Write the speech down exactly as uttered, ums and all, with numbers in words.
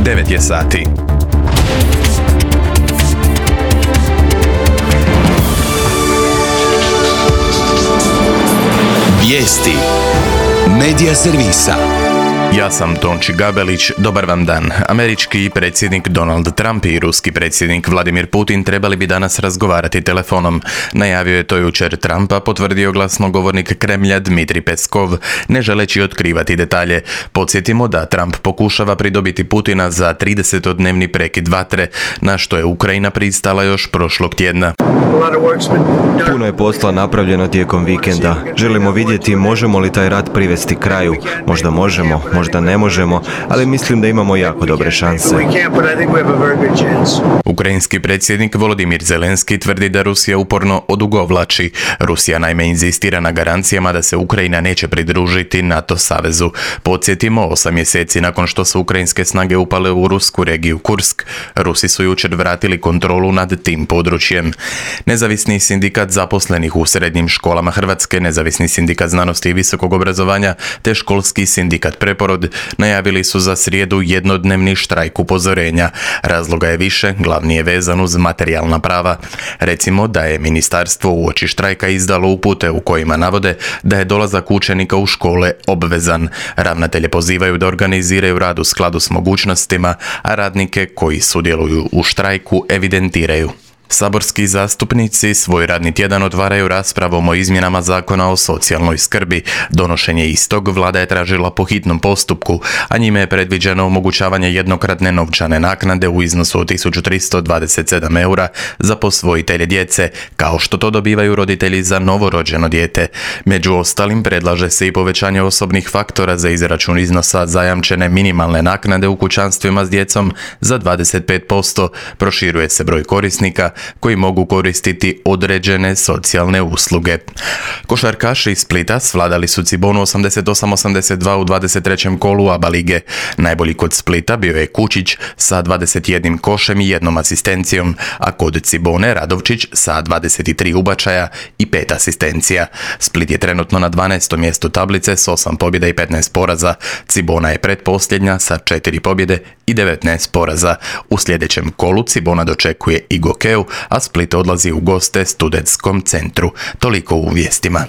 devet je sati. Vijesti Medija servisa. Ja sam Tonči Gabelić, dobar vam dan. Američki predsjednik Donald Trump i ruski predsjednik Vladimir Putin trebali bi danas razgovarati telefonom. Najavio je to jučer Trump, a potvrdio glasnogovornik Kremlja Dmitrij Peskov, ne želeći otkrivati detalje. Podsjetimo da Trump pokušava pridobiti Putina za tridesetodnevni prekid vatre, na što je Ukrajina pristala još prošlog tjedna. Puno je posla napravljeno tijekom vikenda. Želimo vidjeti možemo li taj rat privesti kraju. Možda možemo, možda ne možemo, ali mislim da imamo jako dobre šanse. Ukrajinski predsjednik Volodimir Zelenski tvrdi da Rusija uporno odugovlači. Rusija naime inzistira na garancijama da se Ukrajina neće pridružiti NATO savezu. Podsjetimo, osam mjeseci nakon što su ukrajinske snage upale u rusku regiju Kursk, Rusi su jučer vratili kontrolu nad tim područjem. Nezavisni sindikat zaposlenih u srednjim školama Hrvatske, Nezavisni sindikat znanosti i visokog obrazovanja te školski sindikat Preporod najavili su za srijedu jednodnevni štrajk upozorenja. Razloga je više, glavni je vezan uz materijalna prava. Recimo da je ministarstvo uoči štrajka izdalo upute u kojima navode da je dolazak učenika u škole obvezan. Ravnatelje pozivaju da organiziraju rad u skladu s mogućnostima, a radnike koji sudjeluju u štrajku evidentiraju. Saborski zastupnici svoj radni tjedan otvaraju raspravom o izmjenama Zakona o socijalnoj skrbi. Donošenje istog vlada je tražila po hitnom postupku, a njime je predviđeno omogućavanje jednokratne novčane naknade u iznosu od tisuću tristo dvadeset sedam eura za posvojitelje djece, kao što to dobivaju roditelji za novorođeno dijete. Među ostalim predlaže se i povećanje osobnih faktora za izračun iznosa zajamčene minimalne naknade u kućanstvima s djecom za dvadeset pet posto, proširuje se broj korisnika koji mogu koristiti određene socijalne usluge. Košarkaši iz Splita svladali su Cibonu osamdeset osam osamdeset dva u dvadeset trećem kolu A B A lige. Najbolji kod Splita bio je Kučić sa dvadeset jednim košem i jednom asistencijom, a kod Cibone Radovčić sa dvadeset tri ubačaja i pet asistencija. Split je trenutno na dvanaestom mjestu tablice s osam pobjeda i petnaest poraza. Cibona je pretposljednja sa četiri pobjede i devetnaest poraza. U sljedećem kolu Cibona dočekuje i Gokeu, a Split odlazi u goste Studentskom centru. Toliko u vijestima.